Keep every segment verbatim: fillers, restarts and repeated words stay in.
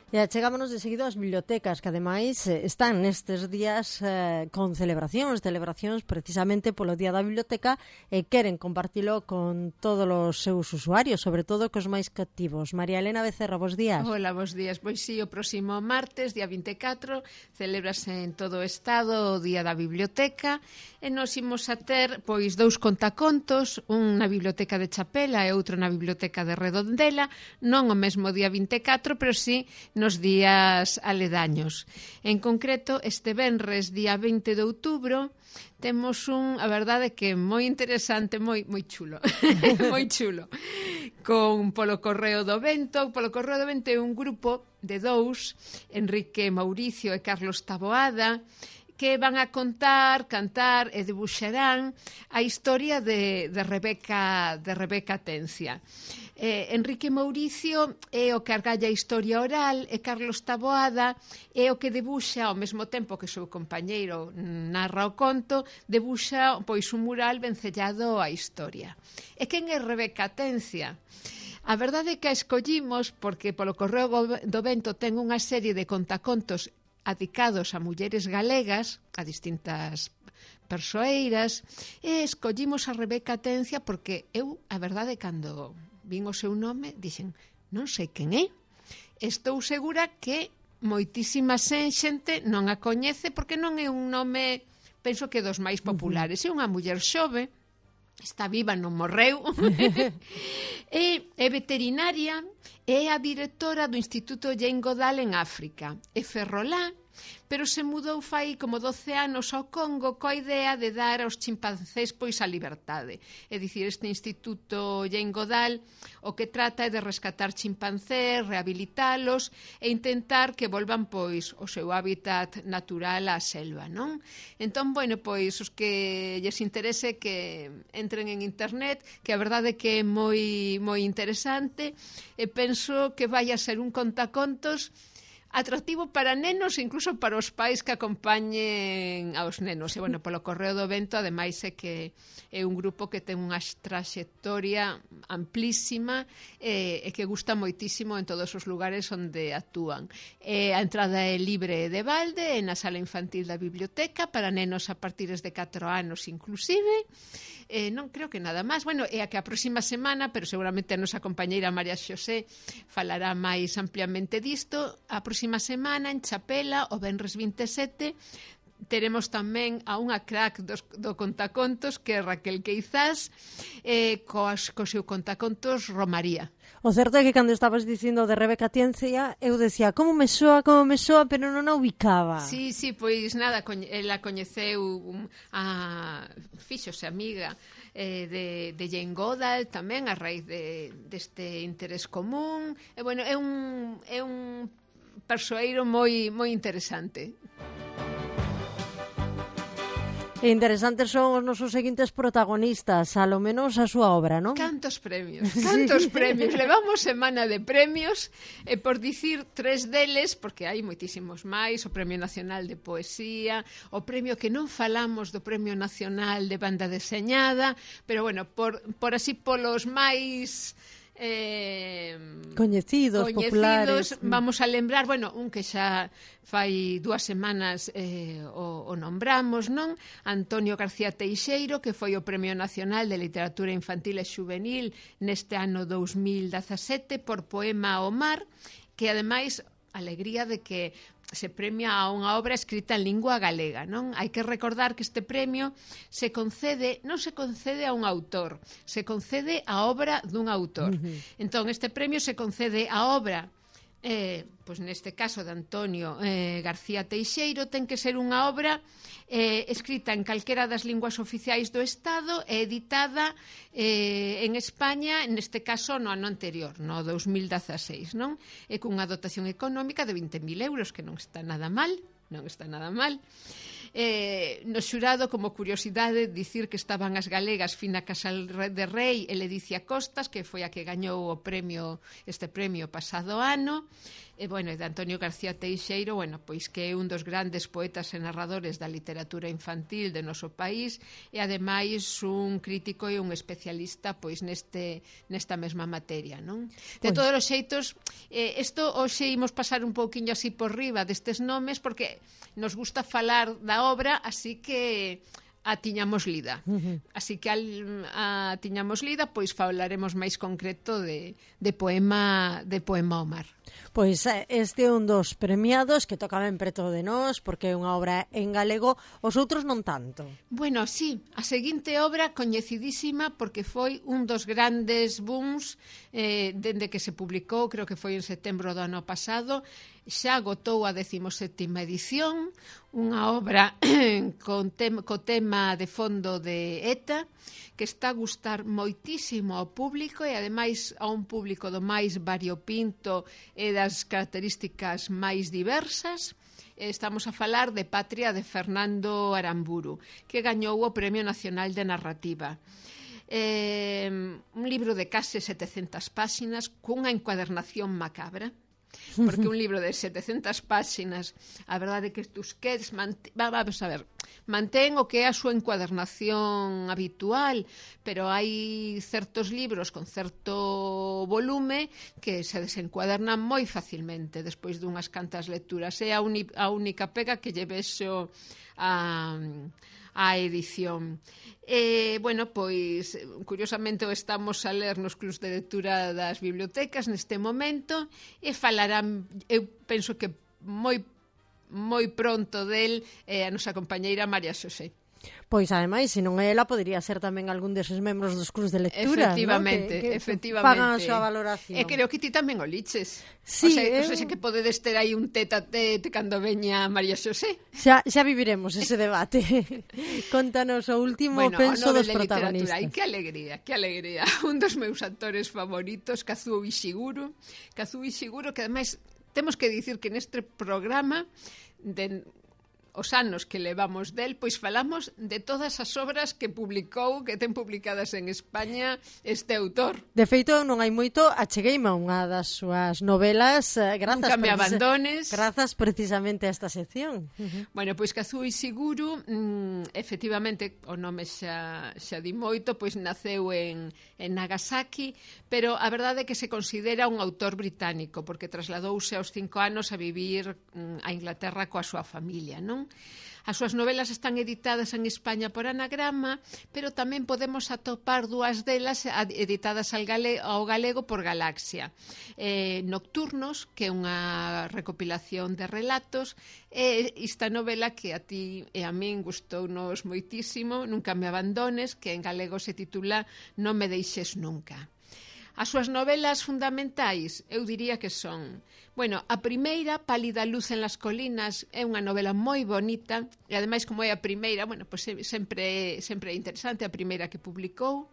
E chegámonos de seguido ás bibliotecas, que ademais están nestes días eh, con celebracións, celebracións precisamente polo Día da Biblioteca, e queren compartilo con todos os seus usuarios, sobre todo cos máis cativos. María Elena Becerra, bos días. Hola, bos días. Pois sí, o próximo martes, día vinte e catro, celebrase en todo o Estado o Día da Biblioteca, e nos imos a ter pois dous contacontos, un na Biblioteca de Chapela e outro na Biblioteca de Redondela, non o mesmo día vinte e catro, pero sí nos días aledaños. En concreto, este venres, día vinte de outubro, temos un, a verdade que moi interesante, moi moi chulo, moi chulo, con polo Correo do Vento. Polo Correo do Vento é un grupo de dous, Enrique Mauricio e Carlos Taboada, que van a contar, cantar e debuxarán a historia de, de Rebeca de Rebeca Atencia. Eh, Enrique Mauricio é o que argalla a historia oral e Carlos Taboada é o que debuxa, ao mesmo tempo que o seu compañeiro narra o conto, debuxa pois un mural vencellado á historia. E quen é Rebeca Atencia? A verdade é que a escollimos porque polo Correo do Vento ten unha serie de contacontos adicados a mulleres galegas, a distintas persoeiras, e escollimos a Rebeca Atencia porque eu, a verdade, cando vin o seu nome, dixen, non sei quen é. Estou segura que moitísima xente non a coñece porque non é un nome, penso que dos máis populares. É unha muller xove, está viva, non morreu, e é veterinaria, é a directora do Instituto Jane Goodall en África, é ferrolá, pero se mudou fai como doce anos ao Congo coa idea de dar aos chimpancés pois a liberdade. É dicir, este Instituto Jane Goodall o que trata é de rescatar chimpancés, rehabilitalos e intentar que volvan pois o seu hábitat natural á selva, non? Entón, bueno, pois os que lles interese que entren en internet, que a verdade é que é moi moi interesante, e penso que vai a ser un contacontos atractivo para nenos e incluso para os pais que acompañen aos nenos. E, bueno, polo Correo do Vento, ademais, é que é un grupo que ten unha traxectoria amplísima e, e que gusta moitísimo en todos os lugares onde actúan. E a entrada é libre de balde, é na sala infantil da biblioteca, para nenos a partir de catro anos inclusive. Eh, non creo que nada máis. Bueno, é a que a próxima semana, pero seguramente a nosa compañeira María Xosé falará máis ampliamente disto, a próxima semana en Chapela, o venres vinte e sete, teremos tamén a unha crack dos, do contacontos, que é Raquel Queizás, eh, coas, co seu contacontos Romaría. O certo é que cando estabas dicindo de Rebeca Atencia, eu decía, como me soa, como me soa, pero non a ubicaba. Sí, sí, pois nada, ela coñeceu um, a fíxose amiga eh, de, de Jane Goodall tamén a raíz de, deste interés común. E, bueno, é un, é un persoeiro moi, moi interesante. E interesantes son os nosos seguintes protagonistas, a lo menos a súa obra, non? Cantos premios, cantos sí. premios. Levamos semana de premios, e por dicir tres deles, porque hai moitísimos máis, o Premio Nacional de Poesía, o premio que non falamos do Premio Nacional de Banda Deseñada, pero, bueno, por, por así polos máis... Eh, coñecidos, coñecidos, populares. Vamos a lembrar, bueno, un que xa fai dúas semanas eh, o, o nombramos, non? Antonio García Teixeiro, que foi o Premio Nacional de Literatura Infantil e Xuvenil neste ano dous mil dezasete por poema ao mar, que ademais alegría de que se premia a unha obra escrita en lingua galega, non? Hai que recordar que este premio se concede, non se concede a un autor, se concede a obra dun autor. Uh-huh. Entón, este premio se concede a obra, eh, pois neste caso de Antonio eh, García Teixeiro, ten que ser unha obra eh, escrita en calquera das linguas oficiais do Estado e editada eh, en España, neste caso no ano anterior, no dous mil dezaseis, non? E cunha dotación económica de vinte mil euros, que non está nada mal, non está nada mal. Eh, no xurado, como curiosidade, dicir que estaban as galegas Fina Casal de Rei e Ledicia Costas, que foi a que gañou o premio, este premio pasado ano, e, bueno, de Antonio García Teixeiro, bueno, pois que é un dos grandes poetas e narradores da literatura infantil de noso país e, ademais, un crítico e un especialista pois neste nesta mesma materia, non? De todos os xeitos, eh, isto hoxe imos pasar un pouquiño así por riba destes nomes porque nos gusta falar da obra, así que a tiñamos lida. Uh-huh. Así que al, a tiñamos lida, pois falaremos máis concreto de, de poema de poema ao mar. Pois este é un dos premiados que toca ben preto de nós, porque é unha obra en galego, os outros non tanto. Bueno, sí, a seguinte obra coñecidísima porque foi un dos grandes booms eh, dende que se publicou, creo que foi en setembro do ano pasado, xa agotou a decimoséptima edición, unha obra con tem, co tema de fondo de E T A, que está a gustar moitísimo ao público e, ademais, a un público do máis variopinto e das características máis diversas. Estamos a falar de Patria de Fernando Aramburu, que gañou o Premio Nacional de Narrativa. Eh, un libro de case setecentas páxinas cunha encuadernación macabra, porque un libro de setecentas páxinas, a verdade é que Tusquets mant... vamos a ver, mantén o que é a súa encuadernación habitual, pero hai certos libros con certo volume que se desencuadernan moi facilmente despois dunhas cantas lecturas. É a, uni... a única pega que lle vexo a... a edición. E, bueno, pois, curiosamente o estamos a ler nos clubs de lectura das bibliotecas neste momento e falarán, eu penso que moi moi pronto del eh, a nosa compañeira María Xosé. Pois, ademais, se non é ela, podería ser tamén algún deses membros dos clubs de lectura, efectivamente, ¿no? que, que efectivamente. Pagan a súa valoración. E creo que ti tamén o liches. Sí, o sea, eh... o sea, que podedes ter aí un tete a tete cando veña María Xosé. Xa, xa viviremos ese debate. Contanos o último, bueno, penso, o dos protagonistas. Ai, que alegría, que alegría. Un dos meus actores favoritos, Kazuo Ishiguro. Kazuo Ishiguro, que ademais temos que dicir que neste programa de os anos que levamos del, pois falamos de todas as obras que publicou, que ten publicadas en España este autor. De feito, non hai moito, achegueime a unha das súas novelas, eh, grazas, Nunca me abandones. Grazas precisamente a esta sección. Uh-huh. Bueno, pois Kazuo Ishiguro, mm, efectivamente, o nome xa, xa di moito, pois naceu en, en Nagasaki, pero a verdade é que se considera un autor británico, porque trasladouse aos cinco anos a vivir mm, a Inglaterra coa súa familia, non? As súas novelas están editadas en España por Anagrama, pero tamén podemos atopar dúas delas editadas ao galego, ao galego por Galaxia. Eh, Nocturnos, que é unha recopilación de relatos, e esta novela que a ti e a min gustounos moitísimo, Nunca me abandones, que en galego se titula Non me deixes nunca. As súas novelas fundamentais, eu diría que son, bueno, a primeira, Pálida luz en las colinas, é unha novela moi bonita, e ademais como é a primeira, bueno, pues sempre, sempre é interesante, a primeira que publicou.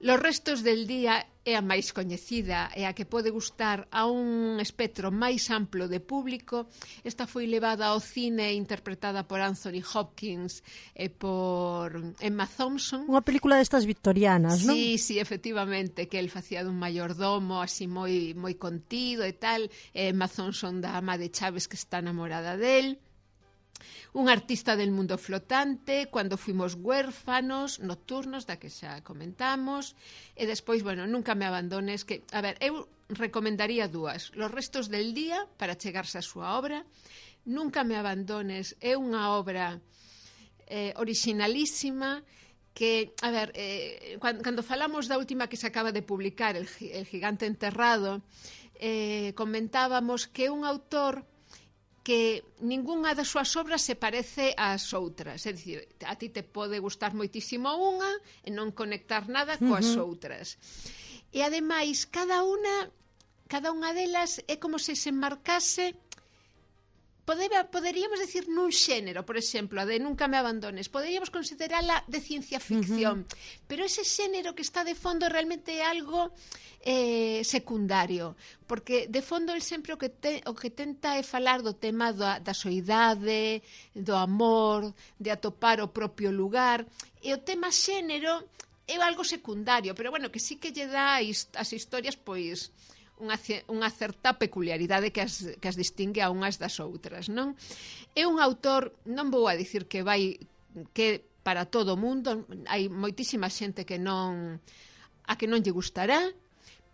Los restos del día é a máis coñecida e a que pode gustar a un espectro máis amplo de público. Esta foi levada ao cine interpretada por Anthony Hopkins e por Emma Thompson. Unha película destas victorianas, non? Sí, sí, efectivamente, que el facía dun mayordomo así moi moi contido e tal. E Emma Thompson da ama de Chaves que está enamorada del. Un artista del mundo flotante, Cuando fuimos huérfanos, Nocturnos, da que xa comentamos, e despois, bueno, Nunca me abandones, que, a ver, eu recomendaría dúas. Los restos del día, para chegarse a súa obra. Nunca me abandones é unha obra eh, originalísima, que, a ver, eh, cando, cando falamos da última que se acaba de publicar, El, el gigante enterrado, eh, comentábamos que é un autor que ningunha das súas obras se parece ás outras, é dicir, a ti te pode gustar moitísimo unha e non conectar nada coas uh-huh. outras. E ademais, cada unha cada unha delas é como se se enmarcase podeba, poderíamos decir nun xénero, por exemplo, a de Nunca me abandones, poderíamos considerala de ciencia ficción, uh-huh. pero ese xénero que está de fondo realmente é algo eh, secundario, porque de fondo el sempre o que, te, o que tenta é falar do tema da, da soidade, do amor, de atopar o propio lugar, e o tema xénero é algo secundario, pero bueno, que sí que lle dá as historias, pois, unha, unha certa peculiaridade que as, que as distingue a unhas das outras, non? É un autor, non vou a dicir que vai, que para todo o mundo, hai moitísima xente que non, a que non lle gustará,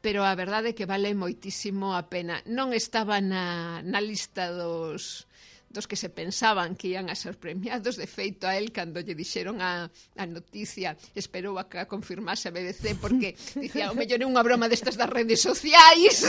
pero a verdade é que vale moitísimo a pena. Non estaba na, na lista dos... dos que se pensaban que ian a ser premiados, de feito a él cando lle dixeron a, a noticia esperou a que a confirmase a B B C porque dicía, o mellor é unha broma destas das redes sociais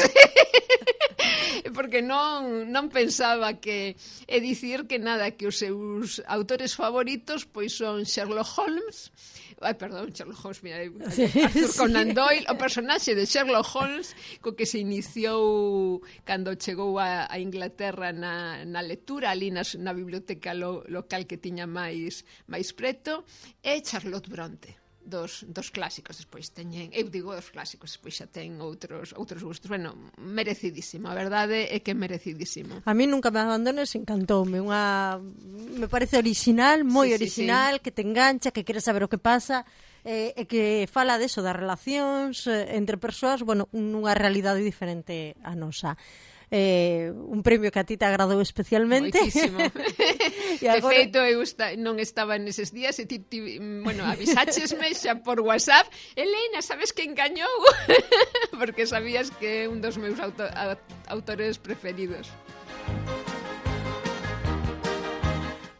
porque non, non pensaba que é dicir que nada, que os seus autores favoritos pois son Sherlock Holmes. Ai, perdón, Sherlock Holmes, mira, sí, Arthur Conan sí. Doyle, o personaxe de Sherlock Holmes co que se iniciou cando chegou a, a Inglaterra na, na lectura, ali na, na biblioteca lo, local que tiña máis máis preto, e Charlotte Bronte, dos, dos clásicos. Despois teñen, eu digo dos clásicos, despois xa ten outros outros gustos. Bueno, merecidísimo, a verdade é que é merecidísimo. A mí Nunca me abandones encantoume, unha me parece original, moi sí, original, sí, sí. que te engancha, que queres saber o que pasa, e eh, que fala deso, das relacións eh, entre persoas, bueno, nunha realidade diferente a nosa. Eh, un premio que a ti te agradou especialmente. Moitísimo. De agora... feito, eu esta, non estaba neses días e ti, ti bueno, avisáchesme xa por WhatsApp, Elena, sabes que engañou? Porque sabías que é un dos meus auto, autores preferidos.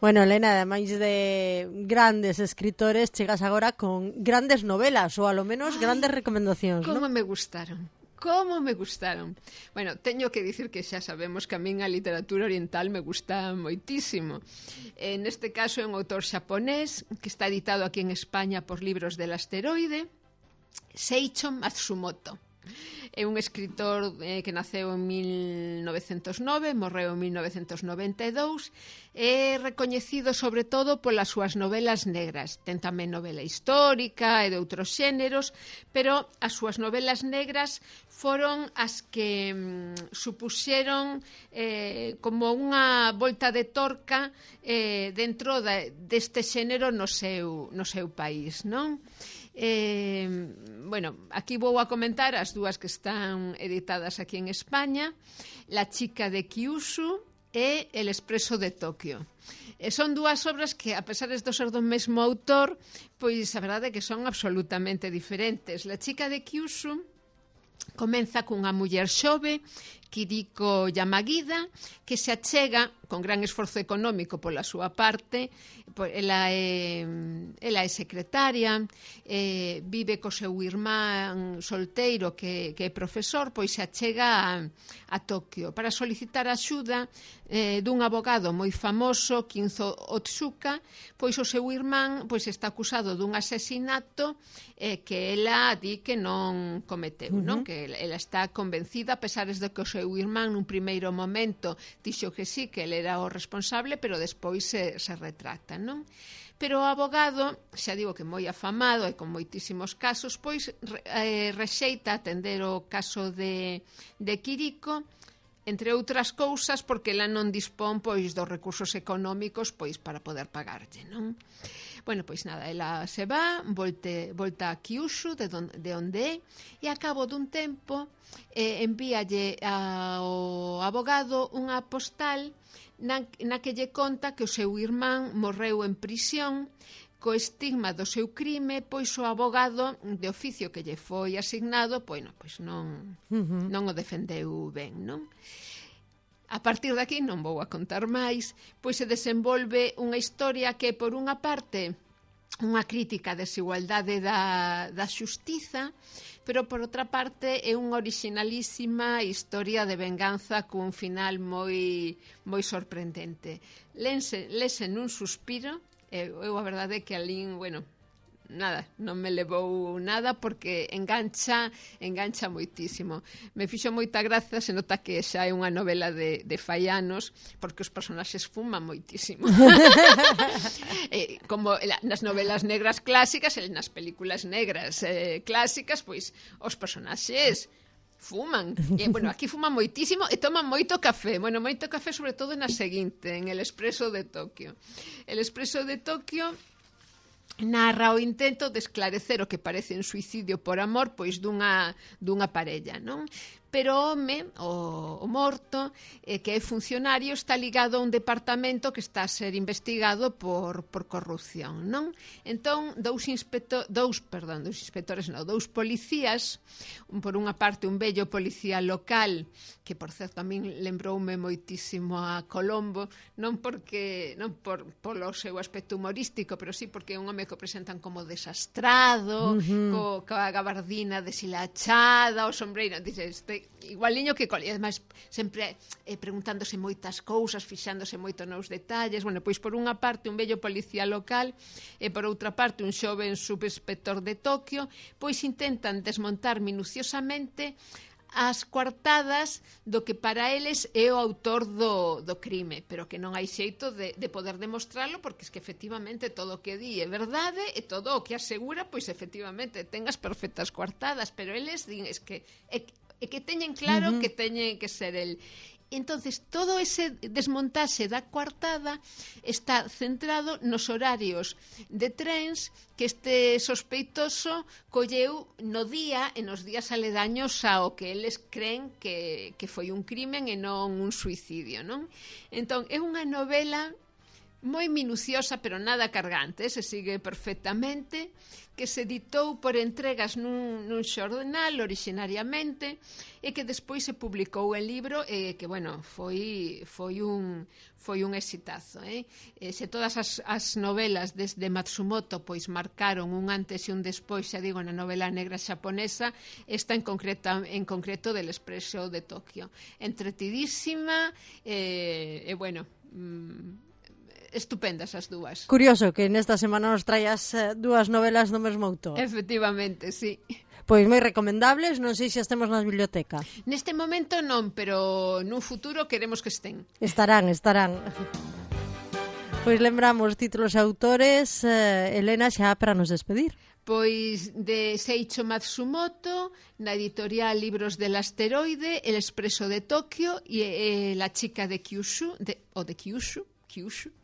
Bueno, Elena, ademais de grandes escritores, chegas agora con grandes novelas, ou alo menos Ay, grandes recomendacións, como ¿no? me gustaron. Como me gustaron. Bueno, teño que dicir que xa sabemos que a min a literatura oriental me gusta moitísimo. En este caso é un autor xaponés que está editado aquí en España por Libros del Asteroide, Seicho Matsumoto. É un escritor eh, que naceu en mil novecentos nove, morreu en mil novecentos noventa e dous, é recoñecido sobre todo polas súas novelas negras. Ten tamén novela histórica e de outros xéneros, pero as súas novelas negras foron as que mm, supuxeron eh, como unha volta de torca eh, dentro de, deste xénero no seu, no seu país, non? Eh, bueno, aquí vou a comentar as dúas que están editadas aquí en España, La chica de Kyushu e El expreso de Tokio. E son dúas obras que, a pesar de ser do mesmo autor, pois a verdade é que son absolutamente diferentes. La chica de Kyushu comeza cunha muller xove, Kiriko Yamagida, que se achega con gran esforzo económico pola súa parte, ela é, ela é secretaria, eh, vive co seu irmán solteiro que, que é profesor, pois se achega a, a Tokio para solicitar axuda eh, dun abogado moi famoso, Kinzo Otsuka, pois o seu irmán pois está acusado dun asesinato eh, que ela di que non cometeu, uh-huh. non? Que ela está convencida, a pesar de que o seu irmán nun primeiro momento dixo que sí, que ele era o responsable, pero despois se, se retracta, non? Pero o abogado, xa digo que moi afamado e con moitísimos casos, pois eh, rexeita atender o caso de, de Kiriko, entre outras cousas porque ela non dispón pois dos recursos económicos pois para poder pagarlle, non? Bueno, pois nada, ela se va, volte, volta a Kyushu, de, don, de onde é, e a cabo dun tempo eh, envíalle ao abogado unha postal na, na que lle conta que o seu irmán morreu en prisión co estigma do seu crime, pois o abogado de oficio que lle foi asignado, pois non, pois non, uh-huh. non o defendeu ben, non? A partir de aquí, non vou a contar máis, pois se desenvolve unha historia que, por unha parte, unha crítica á desigualdade da, da xustiza, pero, por outra parte, é unha originalísima historia de venganza cun final moi, moi sorprendente. Lense, lese nun suspiro, eu, eu a verdade é que alín, bueno, nada, non me levou nada porque engancha, engancha moitísimo. Me fixo moita graza, se nota que xa é unha novela de, de fai anos, porque os personaxes fuman moitísimo. eh, como nas novelas negras clásicas e nas películas negras eh, clásicas, pois os personaxes fuman. E, bueno, aquí fuman moitísimo e toman moito café. Bueno, moito café sobre todo na seguinte, en El Expreso de Tokio. El Expreso de Tokio narra o intento de esclarecer o que parece un suicidio por amor pois dunha, dunha parella, non? Pero o home, o, o morto, eh, que é funcionario, está ligado a un departamento que está a ser investigado por, por corrupción, non? Entón, dous, inspector, dous, perdón, dous inspectores, non, dous policías, un, por unha parte un bello policía local, que por certo a min lembroume moitísimo a Colombo, non porque non por polo seu aspecto humorístico, pero sí porque é un home que o presentan como desastrado, uh-huh. co, coa gabardina deshilachada, o sombreiro, dice, este igualiño que col, e ademais sempre eh, preguntándose moitas cousas, fixándose moito nos detalles. Bueno, pois por unha parte un bello policía local e por outra parte un xoven subinspector de Tokio, pois intentan desmontar minuciosamente as coartadas do que para eles é o autor do, do crime, pero que non hai xeito de, de poder demostrarlo, porque es que efectivamente todo o que di é verdade e todo o que asegura, pois efectivamente ten as perfectas coartadas, pero eles din es que é, e que teñen claro uh-huh. que teñen que ser el. Entonces, todo ese desmontaxe da coartada está centrado nos horarios de trens que este sospeitoso colleu no día e nos días aledaños ao que eles creen que, que foi un crimen e non un suicidio, non? Entón, é unha novela moi minuciosa, pero nada cargante, se sigue perfectamente, que se editou por entregas nun, nun xornal originariamente e que despois se publicou en libro e que, bueno, foi, foi, un, foi un exitazo. Eh? E se todas as, as novelas desde Matsumoto pois marcaron un antes e un despois, xa digo, na novela negra xaponesa, esta en, concreta, en concreto del Expreso de Tokio. Entretidísima e, e bueno... Mmm, estupendas as dúas. Curioso que nesta semana nos traías eh, dúas novelas do mesmo autor. Efectivamente, sí. Pois moi recomendables, non sei se estemos na biblioteca. Neste momento non, pero nun futuro queremos que estén. Estarán, estarán. Pois lembramos títulos e autores, eh, Elena, xa para nos despedir. Pois de Seiichi Matsumoto, na editorial Libros del Asteroide, El Expreso de Tokio e eh, La chica de Kyushu, de, o de Kyushu, Kyushu.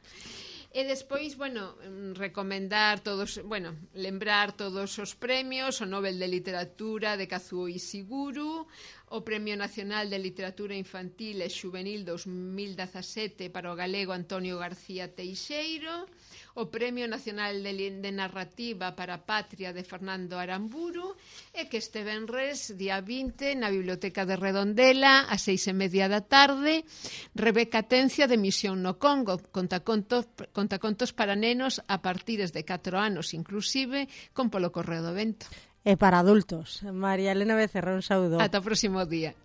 E despois, bueno, recomendar todos, bueno, lembrar todos os premios, o Nobel de Literatura de Kazuo Ishiguro, o Premio Nacional de Literatura Infantil e Xuvenil dos mil dezasete para o galego Antonio García Teixeiro, o Premio Nacional de, de Narrativa para a Patria de Fernando Aramburu, e que este venres, día vinte, na Biblioteca de Redondela, a seis e media da tarde, Rebeca Tencia de Misión no Congo, contacontos, contacontos para nenos a partires de catro anos inclusive, con polo correo do vento. E para adultos. María Elena Becerra, un saúdo. Ata o próximo día.